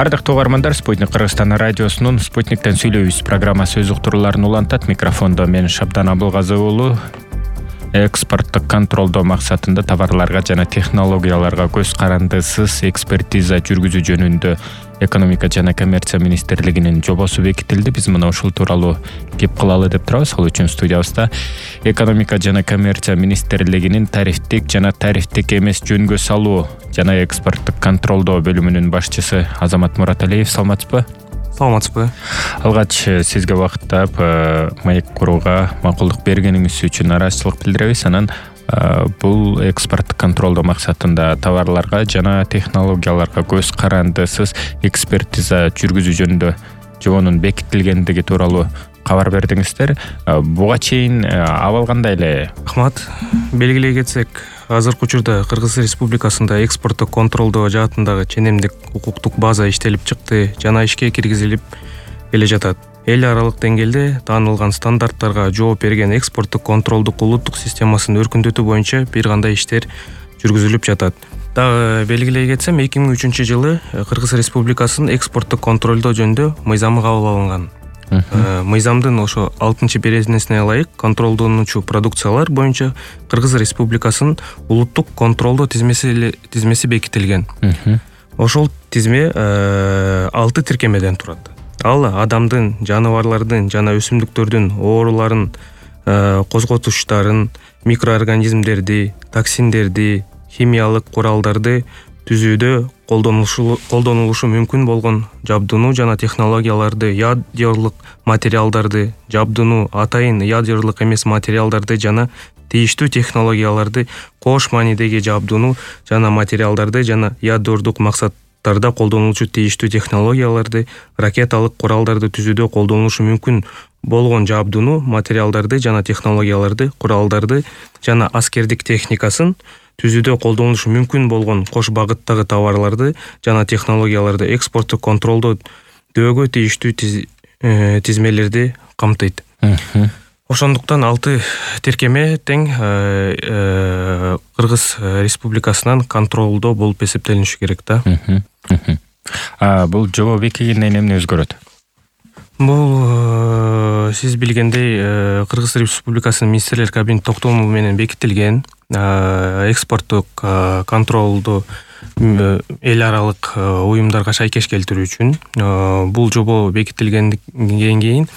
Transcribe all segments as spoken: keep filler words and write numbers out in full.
Ардактуу угармандар, Спутник Кыргызстан радиосунун Спутниктен сүйлөйбүз программасы өз уктурууларын улантат. Микрофондо мен Шабдан Абылгазы уулу. Экспорттук контролдоо максатында товарларга жана технологияларга көз карандысыз экспертиза жүргүзүү жөнүндө Экономика жана коммерция министрлигинин жобосу бекитилди. Биз мына ушул тууралуу кеп кылалы деп турабыз. Ал үчүн студиябызда Экономика жана коммерция министрлигинин тарифтик жана тарифтик эмес жөнгө салуу жана экспорттук контролдоо бөлүмүнүн башчысы Азамат Мураталиев. Саламатсызбы? Саламатсызбы. Алгач сизге убактап маек курууга макулдук бергениңиз үчүн ыраазычылык билдиребиз. Анан бул экспорттук контролдоо максатында товарларга жана технологияларга көз карандысыз экспертиза жүргүзүү жөнүндө жобонун бекитилгендиги тууралуу кабар бердиңиздер. Буга чейин абал кандай эле? Рахмат. Белгилей кетсек, азыркы учурда Кыргыз Республикасында экспорттук контролдоо жаатындагы ченемдик укуктук база иштелип чыкты жана ишке киргизилип келе жатат. Эл аралык деңгээлде таанылган стандарттарга жооп берген экспорттук контролдук улуттук системасын өркүндөтүү боюнча бир кандай иштер жүргүзүлүп жатат. Дагы белгилей кетсем, эки миң үчүнчү жылы Кыргыз Республикасынын экспорттук контролдоо жөнүндө мыйзамы кабыл алынган. Мыйзамдын ошо алтынчы беренесине ылайык контролдонуучу продукциялар боюнча Кыргыз Республикасынын улуттук контролдоо тизмеси тизмеси бекитилген. Ошол тизме алты тиркемеден турат. Ал адамдын, жаныбарлардын жана өсүмдүктөрдүн ооруларын, козготуштарын, микроорганизмдерди, токсиндерди, химиялык куралдарды түзүүдө колдонулушу мүмкүн болгон жабдууну жана технологияларды, ядерлык материалдарды, жабдууну, атайын ядерлык эмес материалдарды жана тийиштүү технологияларды, кош маанидеги жабдууну жана материалдарды жана ядердик максаттарда колдонулуучу тийиштүү технологияларды, ракеталык куралдарды түзүүдө колдонулушу мүмкүн болгон жабдууну, материалдарды жана технологияларды, куралдарды жана аскердик техникасын түзүүдө колдонулушу мүмкүн болгон кош багыттагы товарларды жана технологияларды экспорттук контролдоо дөөгө тийиштүү тизмелерди камтыйт. Ошондуктан алты тиркеме тең Кыргыз Республикасынан контролдоо болуп эсептелиниши керек да. Бул жобо бекигенден эмне өзгөрөт? Бул сиз билгендей Кыргыз Республикасынын министрлер кабинет токтому менен бекитилген экспорттук контролду эл аралык уюмдарга шайкеш келтирүү үчүн бул жобо бекитилгенден кийин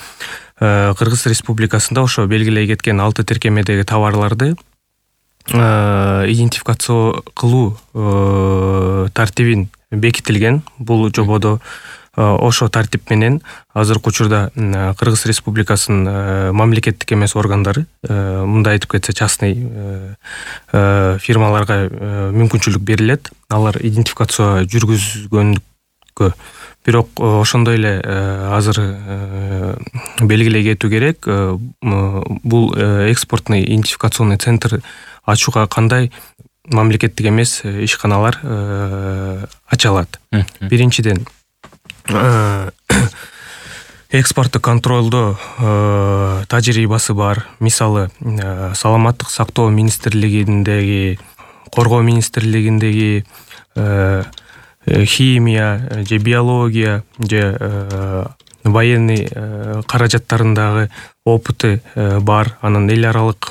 Кыргыз Республикасында ошо белгилей кеткен алты тиркемедеги товарларды идентификация кылуу тартибин бекитилген. Бул жободо ошо тартип менен азыркы учурда Кыргыз Республикасынын мамлекеттик эмес органдары, мындай айтып кетсе частный фирмаларга мүмкүнчүлүк берилет. Алар идентификация жүргүзгөндүккө. Бирок ошондой эле азыр белгилей кетүү керек, бул экспортный идентификационный центр ачууга кандай мамлекеттик эмес ишканалар ачалат. Биринчиден, экспорттук контролдоо тажрыйбасы бар. Мисалы, Саламаттык сактоо министрлигиндеги, Коргоо министрлигиндеги, химия же биология же военный каражаттарындагы опыты бар. Анан эл аралык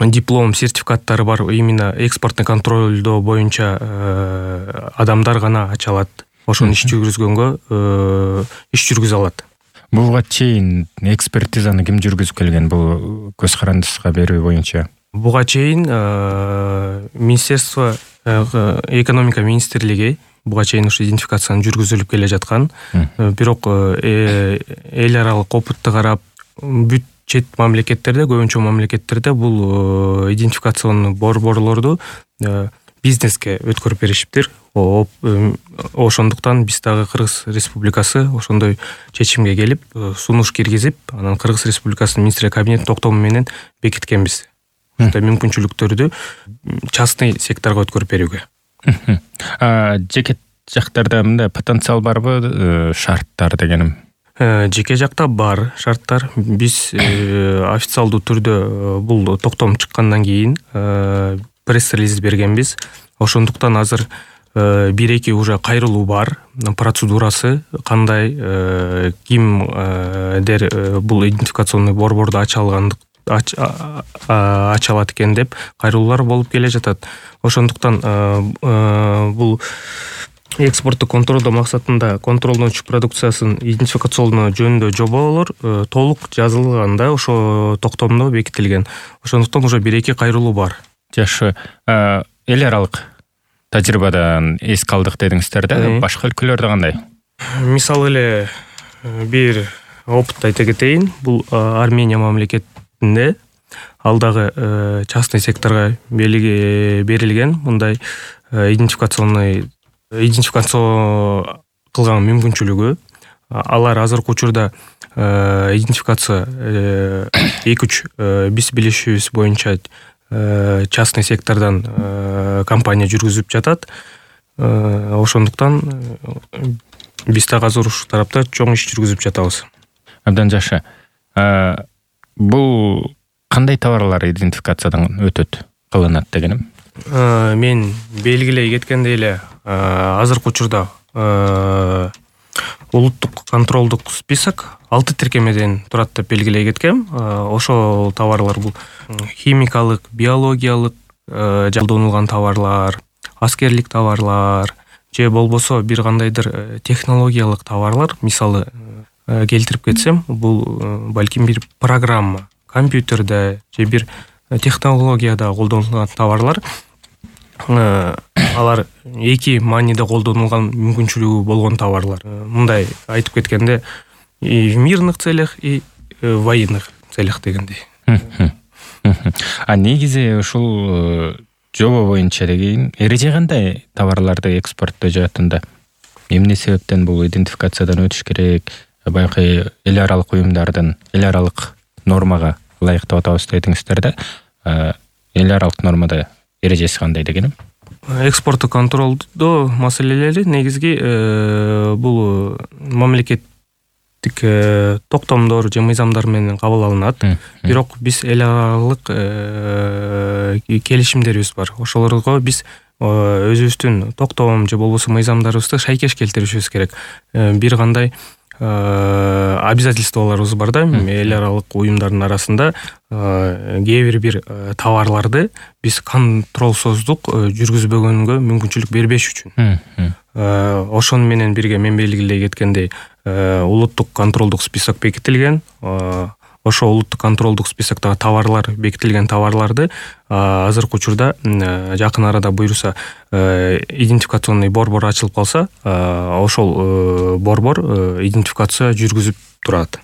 диплом, сертификаттары бар. Именно экспортный контролдоо боюнча адамдар гана ачалат. Ошону иш жүргүзгөнгө иш жүргүзө алат. Буга чейин экспертизаны ким жүргүзүп келген? Бул көз карандысызга берүү боюнча. Буга чейин Министерство экономика министрлиги буга чейин ушу идентификацияны жүргүзүлүп келе жаткан. Бирок эл аралык опытты карап, бүт чет мамлекеттерде, көбүнчө мамлекеттерде бул идентификационный борборлорду бизнеске өткөрүп беришиптир. Ошондуктан биз дагы Кыргыз Республикасы ошондой чечимге келип, сунуш киргизип, анан Кыргыз Республикасынын министрлер кабинет токтому менен бекиткенбиз. Ошондой мүмкүнчүлүктөрдү частный секторго өткөрүп берүүгө. Жеке жактарда мындай потенциал барбы, шарттар дегеним? Жеке жакта бар шарттар. Биз официалдуу түрдө бул токтом чыккандан кийин пресс-релиз бергенбиз. Ошондуктан азыр бир эки уже кайрылуу бар, процедурасы кандай, кимдер бул идентификационный борборду ача алгандык ача алат экен деп кайрылуулар болуп келе жатат. Ошондуктан бул экспорттук контролдоо максатында контролдончу продукциясын идентификациялоо жөнүндө жоболор толук жазылганда ошо токтомдо бекитилген. Ошондуктан уже бир эки кайрылуу бар. Жакшы. Эл аралык тажрыйбадан эс калдык дедиңиздер да, башка өлкөлөрдө кандай? Мисалы эле бир опыт айта кетейин. Бул Армения мамлекетинде ал дагы частный секторго берилген мындай идентификационный идентификация кылган мүмкүнчүлүгү. Алар азыркы учурда идентификация эки үч биз билишибиз боюнча частный сектордон компания жүргүзүп жатат. Ошондуктан биз дагы азыр ушул тарапта чоң иш жүргүзүп жатабыз. Абдан жакшы. Бул кандай товарлар идентификациядан өтөт, кылынат дегеним? Мен белгилей кеткендей эле азыркы учурда улуттук контролдук список алты тиркемеден турат деп белгилей кеткем. Ошол товарлар бул химикалык, биологиялык колдонулган товарлар, аскерлик товарлар же болбосо бир кандайдыр технологиялык товарлар. Мисалы келтирип кетсем, бул балким бир программа, компьютерде же бир технологияда колдонулган товарлар. Алар эки мааниде колдонулган мүмкүнчүлүгү болгон товарлар. Мындай айтып кеткенде, и в мирных целях, и в военных целях дегендей. А негизи ушул жобо боюнча деген эреже кандай товарларды экспорттоо жаатында? Эмне себептен бул идентификациядан өтүш керек? Баягы эл аралык уюмдардын эл аралык нормага ылайыктап атабыз дедиңиздер да. Эл аралык нормада эрежеси кандай дегеним? Экспорттук контролдоо маселелери негизги бул мамлекеттик токтомдор же мыйзамдар менен кабыл алынат. Бирок биз эл аралык келишимдерибиз бар. Ошолорго биз өзүбүздүн токтом же болбосо мыйзамдарыбызды шайкеш келтиришибиз керек. Бир кандай обязательстволорубуз бар да, эл аралык уюмдардын арасында кээ бир бир товарларды биз контролсуздук жүргүзбөгөнгө мүмкүнчүлүк бербеш үчүн. Ошону менен бирге мен белгилей кеткендей, улуттук контролдук список бекитилген. Ошо улуттук контролдук списоктогу товарлар, бекитилген товарларды азыркы учурда жакын арада буюрса идентификационный борбор ачылып калса, ошол борбор идентификация жүргүзүп турат.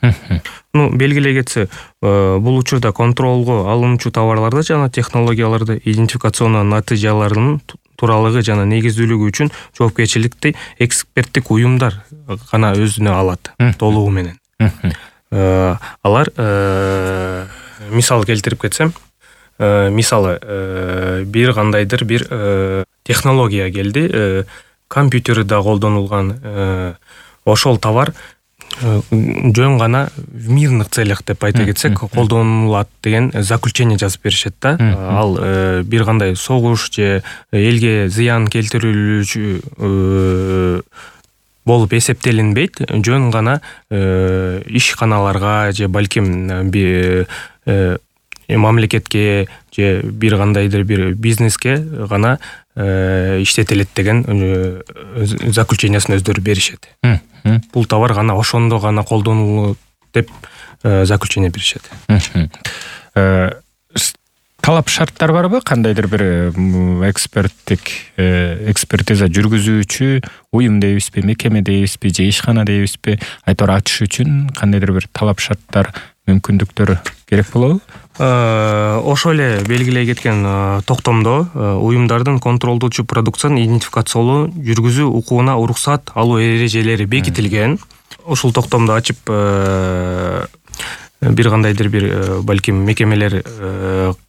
Ну, белгилей кетсе, бул учурда контролго алынуучу товарларды жана технологияларды идентификациянын натыйжаларынын тууралыгы жана негиздүүлүгү үчүн жоопкерчиликти эксперттик уюмдар гана өзүнө алат толугу менен. Алар мисал келтирип кетсем, мисалы бир кандайдыр бир технология келди, компьютерде колдонулган ошол товар жөн гана в мирных целях деп айта кетсек колдонулат деген заключение жазып беришет да. Ал бир кандай согуш же элге зыян келтирүүчү болуп эсептелинбейт, жөн гана ишканаларга же балким мамлекетке же бир кандайдыр бир бизнеске гана иштетилет деген заключениясын өздөрү беришет. Бул товар гана ошондо гана колдонулот деп заключение беришет. Талап шарттар барбы? Кандайдыр бир эксперттик экспертиза жүргүзүүчү уюм дейбизби, мекеме дейбизби, же ишкана дейбизби, айтор ачыш үчүн кандайдыр бир талап шарттар, мүмкүндүктөр керек болобу? Ошо эле белгилей кеткен токтомдо уюмдардын контролдоочу продукцияны идентификациялоо жүргүзүү укугуна уруксат алуу эрежелери бекитилген. Ушул токтомду ачып бир кандайдыр бир балким мекемелер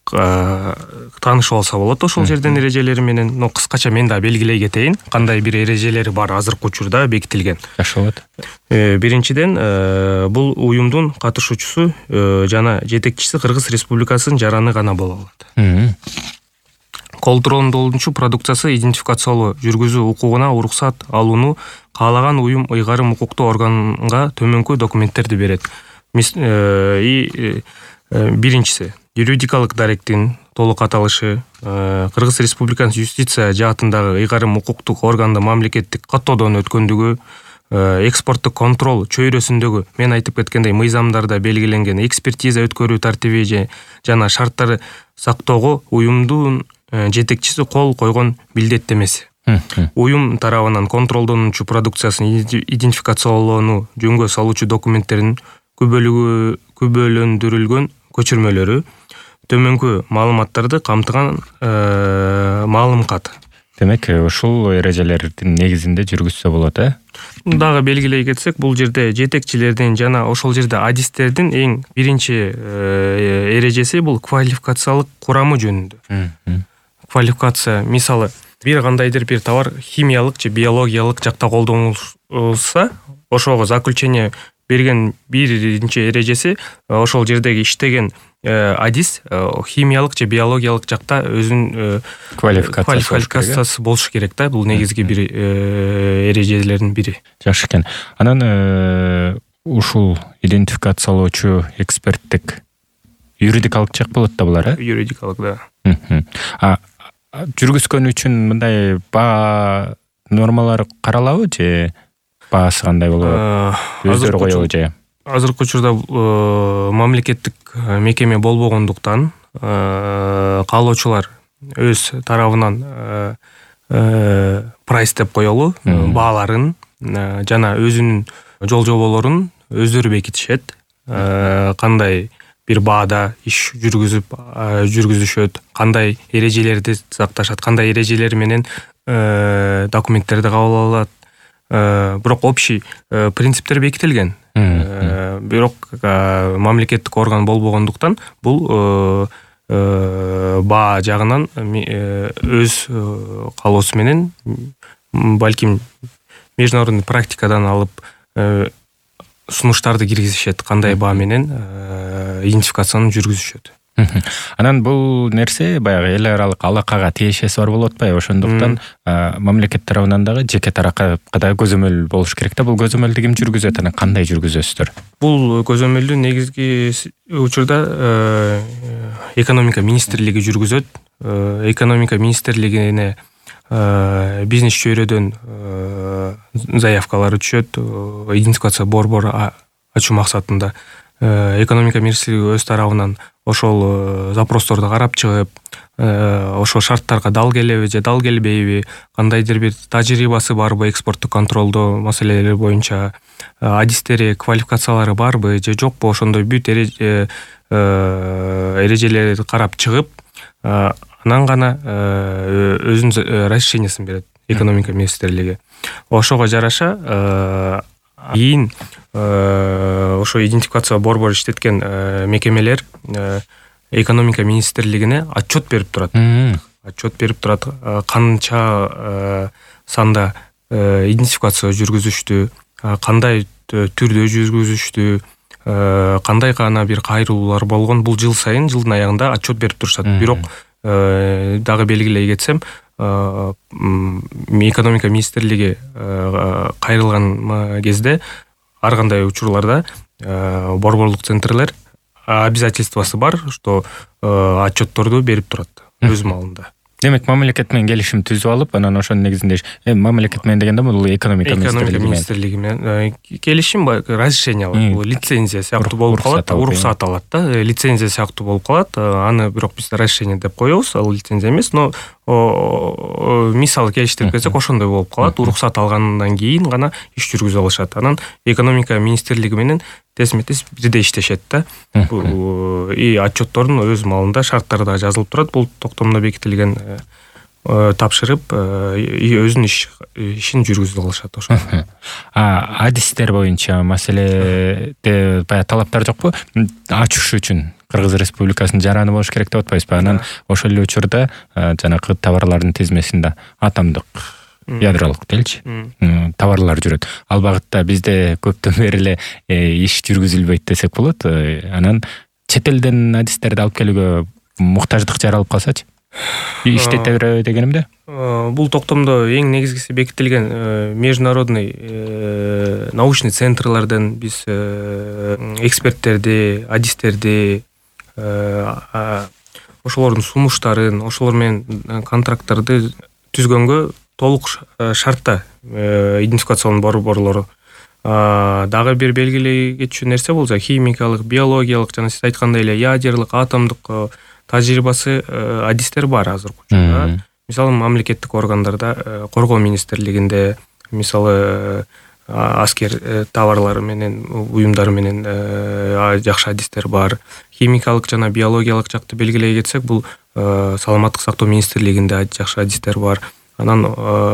таанышып алса болот ошол жерден эрежелери менен. Но кыскача мен да белгилей кетейин, кандай бир эрежелери бар азыркы учурда бекитилген. Жакшы болот. Биринчиден, бул уюмдун катышуучусу жана жетекчиси Кыргыз Республикасынын жараны гана боло алат. контролдолуучу продукциясы идентификациялоо, жүргүзүү укугуна уруксат алууну каалаган уюм ыйгарым укуктуу органга төмөнкү документтерди берет. Биринчиси юридикалык даректин толук аталышы, Кыргыз Республикасынын юстиция жаатындагы ыйгарым укуктук органда мамлекеттик каттоодон өткөндүгү, экспорттук контрол чөйрөсүндөгү мен айтып кеткендей мыйзамдарда белгиленген экспертиза өткөрүү тартиби жана шарттары сактоого уюмдун жетекчиси кол койгон билдеттемеси. Уюм тарабынан контролдонуучу продукциясын идентификациялоону жөнгө салуучу документтердин күбөлөндүрүлгөн көчүрмөлөрү, төмөнкү маалыматтарды камтыган маалым кат. Демек, ушул эрежелердин негизинде жүргүзсө болот, э? Дагы белгилей кетсек, бул жерде жетекчилердин жана ошол жерде адистердин эң биринчи эрежеси бул квалификациялык курамы жөнүндө. Квалификация, мисалы, бир кандайдыр бир товар химиялык же биологиялык жакта колдонулса, ошого заключение берген биринчи эрежеси ошол жердеги иштеген адис химиялык же биологиялык жакта өзүнүн квалификациясы болушу керек да. Бул негизги бир эрежелердин бири. Жакшы экен. Анан ушул идентификациялоочу эксперттик юридикалык жак болот да булар, э? Юридикалык, да. А жүргүзгөн үчүн мындай баа нормалары каралабы же баасы кандай болот? Өздөрү коебу же? Азыркы учурда мамлекеттик мекеме болбогондуктан каалоочулар өз тарабынан прайс деп коелу, бааларын жана өзүнүн жол жоболорун өздөрү бекитишет. Кандай бир баада иш жүргүзүп жүргүзүшөт, кандай эрежелерди сакташат, кандай эрежелер менен документтерди кабыл алат. Бирок общий принциптер бекитилген. Бирок мамлекеттик орган болбогондуктан бул баа жагынан өз каалоосу менен балким международный практикадан алып сунуштарды киргизишет, кандай баа менен идентификацияны жүргүзүшөт. Анан бул нерсе баягы эл аралык алакага тиешеси бар болуп атпайбы? Ошондуктан мамлекет тарабынан дагы жеке тарапка да көзөмөл болуш керек да. Бул көзөмөлдү ким жүргүзөт, анан кандай жүргүзөсүздөр? Бул көзөмөлдү негизги учурда экономика министрлиги жүргүзөт. Экономика министрлигине бизнес чөйрөдөн заявкалар түшөт, идентификация борбор ачуу максатында. Экономика министрлиги өз тарабынан ошол запросторду карап чыгып, ошол шарттарга дал келеби же дал келбейби, кандайдыр бир тажрыйбасы барбы экспорттук контролдоо маселелери боюнча, адистери, квалификациялары барбы же жокпу, ошондой бүт эрежелерди карап чыгып, анан гана өзүнүн разрешениясын берет экономика министрлиги. Ошого жараша кийин ошо идентификация борбор иштеткен мекемелер экономика министрлигине отчет берип турат. Отчет берип турат, канча санда идентификация жүргүзүштү, кандай түрдө жүргүзүштү, кандай гана бир кайрылуулар болгон. Бул жыл сайын, жылдын аягында отчет берип турушат. Бирок дагы белгилей кетсем, экономика министрлиги кайрылган кезде ар кандай учурларда борборлук центрлер обязательствосы бар, что отчетторду берип турат өз маалында. Демек, мамлекет менен келишим түзүп алып, анан ошонун негизинде мамлекет менен дегенде бул экономика министрлиги менен келишим, разрешение алат, бул лицензия сыяктуу болуп калат, уруксат алат да, лицензия сыяктуу болуп калат. Аны бирок биз разрешение деп коебуз, ал лицензия эмес, но мисалы келиштирип кетсек ошондой болуп калат. Уруксат алгандан кийин гана иш жүргүзө алышат. Анан экономика министрлиги менен тесме-тес бирдей иштешет да. И отчеттордун өз маалында шарттарда жазылып турат. Бул токтомдо бекитилген, тапшырып, өзүнүн ишин жүргүзүп алышат ошо. А адистер боюнча маселеде баягы талаптар жокпу? Ачыш үчүн Кыргыз Республикасынын жараны болуш керек деп атпайсызбы? Анан ошол эле учурда жанагы товарлардын тизмесинде атомдук ядролук делчи товарлар жүрөт. Ал багытта бизде көптөн бери эле иш жүргүзүлбөйт десек болот. Анан чет элден адистерди алып келүүгө муктаждык жаралып калсачы? иштете береби дегенимде? Бул токтомдо эң негизгиси бекитилген международный научный центрлардан биз эксперттерди, адистерди, ошолордун сунуштарын, ошолор менен контракттарды түзгөнгө толук шартта идентификациялануу борборлору. Дагы бир белгилей кетчү нерсе болсо химикалык, биологиялык жана сиз айткандай эле ядерлык, атомдук тажрыйбасы адистер бар азыркы учурда. Мисалы мамлекеттик органдарда, коргоо министрлигинде, мисалы аскер товарлары менен, уюмдары менен жакшы адистер бар. Химикалык жана биологиялык жакты белгилей кетсек, бул саламаттык сактоо министрлигинде жакшы адистер бар. Анан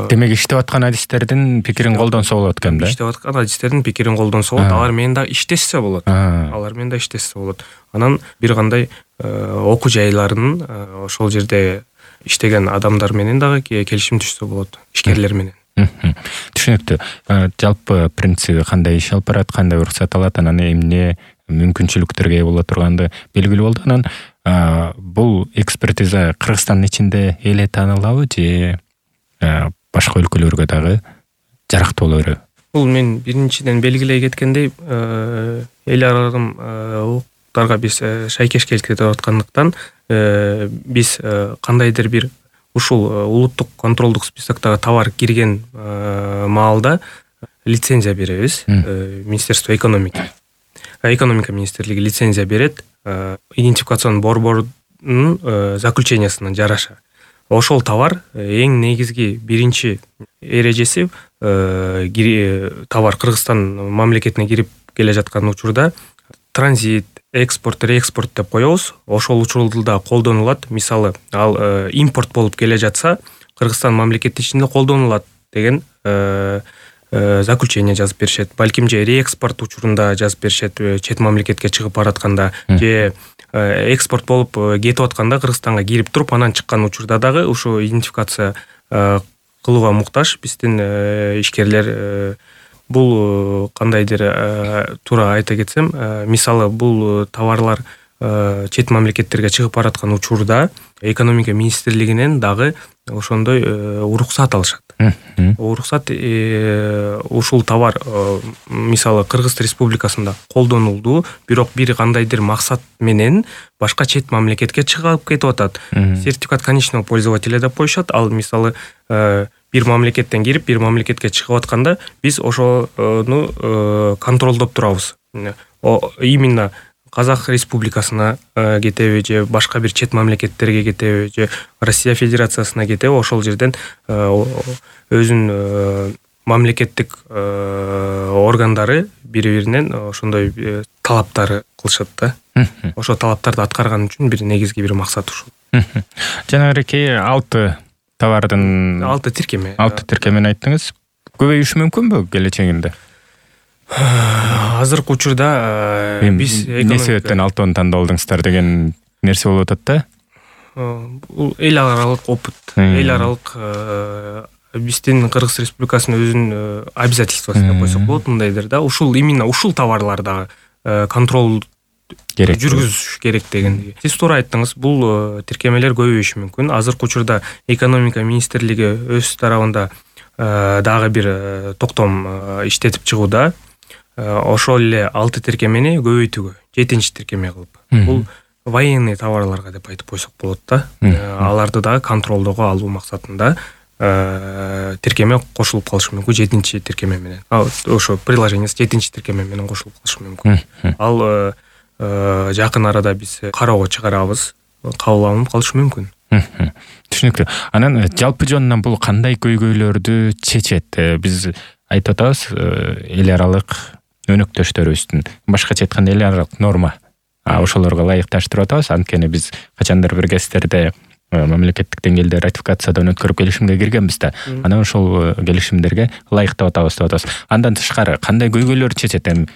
демек иштеп аткан адистердин пикирин колдонсо болот экен да? Иштеп аткан адистердин пикирин колдонсо болот, алар менен да иштешсе болот. Алар менен да иштешсе болот. Анан бир кандай окуу жайларынын ошол жерде иштеген адамдар менен дагы келишим түшсө болот, ишкерлер менен. Түшүнүктүү. Жалпы принциби кандай иш алып барат, кандай уруксат алат, анан эмне мүмкүнчүлүктөргө ээ боло турганды белгилүү болду. Анан бул экспертиза Кыргызстандын ичинде эле таанылабы же башка өлкөлөргө дагы жарактуу боло береби? Бул мен биринчиден белгилей кеткендей, эл аралык укуктарга биз шайкеш келтирип аткандыктан биз кандайдыр бир ушул улуттук контролдук списоктогу товар кирген маалда лицензия беребиз. Министерство экономики. Экономика министрлиги лицензия берет идентификацион борборунун заключениясына жараша. Ошол товар эң негизги биринчи эрежеси товар Кыргызстан мамлекетине кирип келе жаткан учурда транзит, экспорт, реэкспорт деп коебуз. Ошол учурда колдонулат. Мисалы, ал импорт болуп келе жатса, Кыргызстан мамлекети ичинде колдонулат деген заключение жазып беришет. Балким же реэкспорт учурунда жазып беришет, чет мамлекетке чыгып баратканда, же экспорт болуп кетип атканда Кыргызстанга кирип туруп, анан чыккан учурда дагы ушу идентификация кылууга муктаж биздин ишкерлер. Бул кандайдыр туура айта кетсем, мисалы бул товарлар чет мамлекеттерге чыгып бараткан учурда экономика министрлигинен дагы ошондой уруксат алышат. Уруксат ушул товар мисалы Кыргыз Республикасында колдонулду, бирок бир кандайдыр максат менен башка чет мамлекетке чыгып кетип атат. Сертификат конечного пользователя деп коюшат. Ал мисалы бир мамлекеттен кирип, бир мамлекетке чыгып атканда биз ошону контролдоп турабыз. Именно Казак Республикасына кетеби же башка бир чет мамлекеттерге кетеби же Россия Федерациясына кетеби, ошол жерден өзүнүн мамлекеттик органдары бири-биринен ошондой талаптары кылышат да. Ошол талаптарды аткарган үчүн бир негизги бир максат ушул. Жанагы алты товардын алты тиркеме. алты тиркемени айттыңыз. Көбөйүшү мүмкүнбү келечегинде? Азыркы учурда биз эмне себептен алтыны тандалдыңыздар деген нерсе болуп атат да? Бул эл аралык опыт, эл аралык биздин Кыргыз Республикасынын өзүнүн обязательствосы деп койсок болот, мындайдыр да. Ушул именно ушул товарларда контрол керек, жүргүзүш керек деген. Сиз туура айттыңыз, бул тиркемелер көбөйүшү мүмкүн. Азыркы учурда экономика министрлиги өз тарабында дагы бир токтом иштетип чыгууда. Ошол эле алты тиркемени көбөйтүүгө, жетинчи тиркеме кылып. Бул военный товарларга деп айтып койсок болот да. Аларды дагы контролдоого алуу максатында тиркеме кошулуп калышы мүмкүн, жетинчи тиркеме менен. Ошо приложениеси жетинчи тиркеме менен кошулуп калышы мүмкүн. Ал жакын арада биз кароого чыгарабыз, кабыл алынып калышы мүмкүн. Түшүнүктүү. Анан жалпы жонунан бул кандай көйгөйлөрдү чечет? Биз айтып атабыз, эл аралык өнөктөштөрүбүздүн башкача айтканда эл аралык норма. Ошолорго ылайыкташтырып атабыз. Анткени биз качандыр бир кездерде мамлекеттик деңгээлде ратификациядан өткөрүп келишимге киргенбиз да. Анан ошол келишимдерге ылайыктап атабыз деп атабыз. Андан тышкары кандай көйгөйлөр чечет эми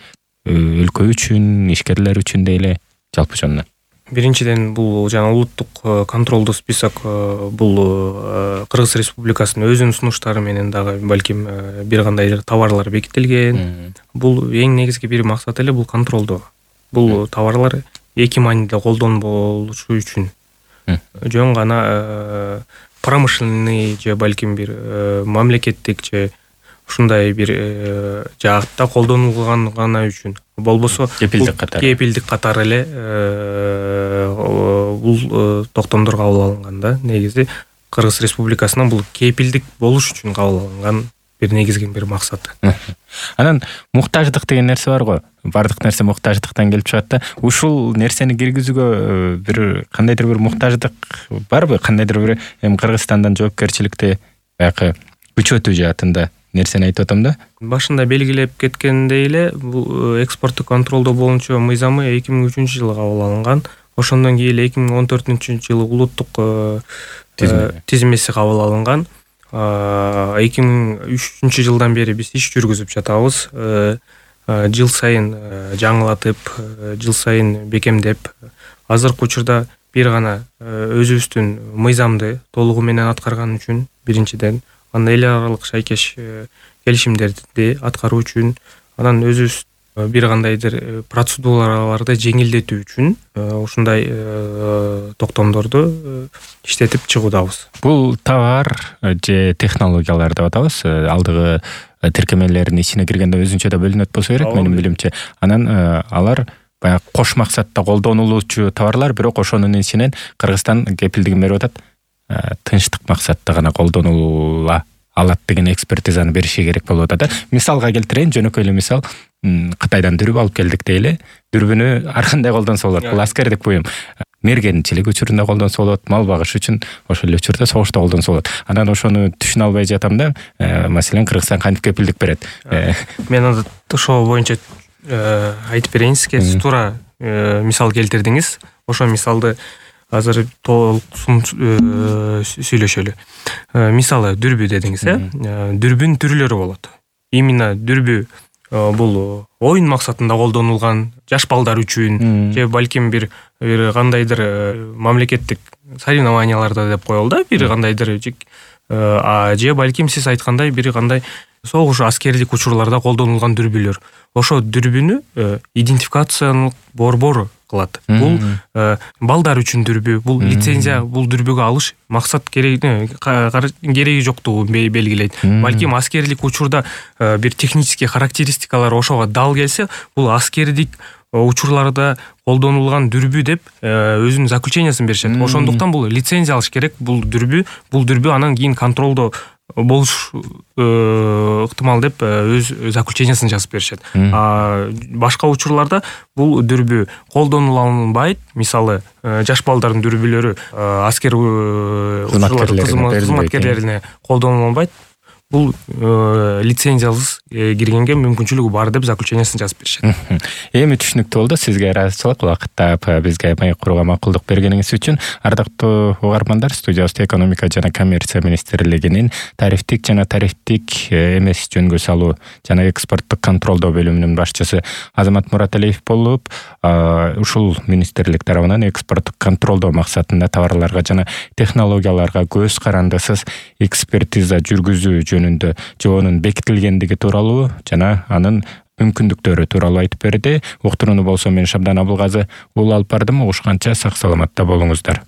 өлкө үчүн, ишкерлер үчүн дейле жалпы жонунан? Биринчиден бул жана улуттук контролдуу список бул Кыргыз Республикасынын өзүнүн сунуштары менен дагы балким бир кандай товарлар бекитилген. Бул эң негизги бир максат эле бул контролдоо. Бул товарлар эки мааниде колдонболушу үчүн жөн гана промышленный же балким бир мамлекеттик же ушундай бир жаатта колдонулган гана үчүн, болбосо кепилдик катары кепилдик катары эле бул токтомдор кабыл алынган да. Негизи Кыргыз Республикасынан бул кепилдик болуш үчүн кабыл алынган бир негизги бир максаты. Анан муктаждык деген нерсе бар го. Бардык нерсе муктаждыктан келип чыгат да. Ушул нерсени киргизүүгө бир кандайдыр бир муктаждык барбы? Кандайдыр бир эми Кыргызстандан жоопкерчиликти баягы күчөтүү жаатында нерсени айтып атам да. Башында белгилеп кеткендей эле, бул экспорттук контролдоо боюнча мыйзамы эки миң үчүнчү жылы кабыл алынган. Ошондон кийин эки миң он төртүнчү жылы улуттук тизмеси кабыл алынган. эки миң үчүнчү жылдан бери биз иш жүргүзүп жатабыз. Жыл сайын жаңылатып, жыл сайын бекемдеп, азыркы учурда бир гана өзүбүздүн мыйзамды толугу менен аткарган үчүн биринчиден, анан эл аралык шайкеш келишимдерди аткаруу үчүн, анан өзүбүз бир кандайдыр процедураларды жеңилдетүү үчүн ушундай токтомдорду иштетип чыгуудабыз. Бул товар же технологиялар деп атабыз. Алдыгы тиркемелердин ичине киргенде өзүнчө да бөлүнөт болсо керек менин билимче. Анан алар баягы кош максатта колдонулуучу товарлар, бирок ошонун ичинен Кыргызстан кепилдигин берип атат. Тынчтык максатта гана колдонула алат деген экспертизаны бериши керек болуп атат. Мисалга келтирейин, жөнөкөй эле мисал. Кытайдан дүрбү алып келдик дейли. Дүрбүнү ар кандай колдонсо болот. Бул аскердик буюм. Мергенчилик учурунда колдонсо болот, мал багыш үчүн ошол эле учурда согушта колдонсо болот. Анан ошону түшүнө албай жатам да, маселен Кыргызстан кантип кепилдик берет. Мен анда ошол боюнча айтып берейин сизге. Сиз туура мисал келтирдиңиз. Ошол мисалды азыр толкун сүйлөшөлү. Мисалы дүрбү дедиңиз, э? Дүрбүнүн түрлөрү болот. Именно дүрбү бул оюн максатында колдонулган, жаш балдар үчүн же балким бир бир кандайдыр мамлекеттик соревнованияларда деп коелу да, бир кандайдыр же балким сиз айткандай бир кандай согуш аскердик учурларда колдонулган дүрбүлөр. Ошо дүрбүнү идентификациялык борбору кылат. Бул балдар үчүн дүрбү, бул лицензия, бул дүрбүгө алыш максат кереги кереги жоктугун белгилейт. Балким аскерлик учурда бир технический характеристикалар ошого дал келсе, бул аскердик учурларда колдонулган дүрбү деп өзүнүн заключениясын беришет. Ошондуктан бул лицензия алыш керек. Бул дүрбү, бул дүрбү анан кийин контролдо болуш ыктымал деп өз заключениясын жазып беришет. А башка учурларда бул дүрбү колдонула алынбайт. Мисалы, жаш балдардын дүрбүлөрү аскер кызматкерлерине колдонула алынбайт. Бул лицензиялыз киргенге мүмкүнчүлүгү бар деп заключениясын жазып беришет. Эми түшүнүктүү болду. Сизге ыраазычылык убакытта бизге маек курууга макулдук бергениңиз үчүн. Ардактуу угармандар, студиябызда экономика жана коммерция министрлигинин тарифтик жана тарифтик эмес жөнгө салуу жана экспорттук контролдоо бөлүмүнүн башчысы Азамат Мураталиев болуп, ушул министрлик тарабынан экспорттук контролдоо максатында товарларга жана технологияларга көз карандысыз экспертиза жүргүзүү жөнүндө жоонун бекитилгендиги тууралуу жана анын мүмкүндүктөрү тууралуу айтып берди. Уктурууну болсо мен Шабдан Абылгазы уулу алып бардым. Угушканча сак саламатта болуңуздар.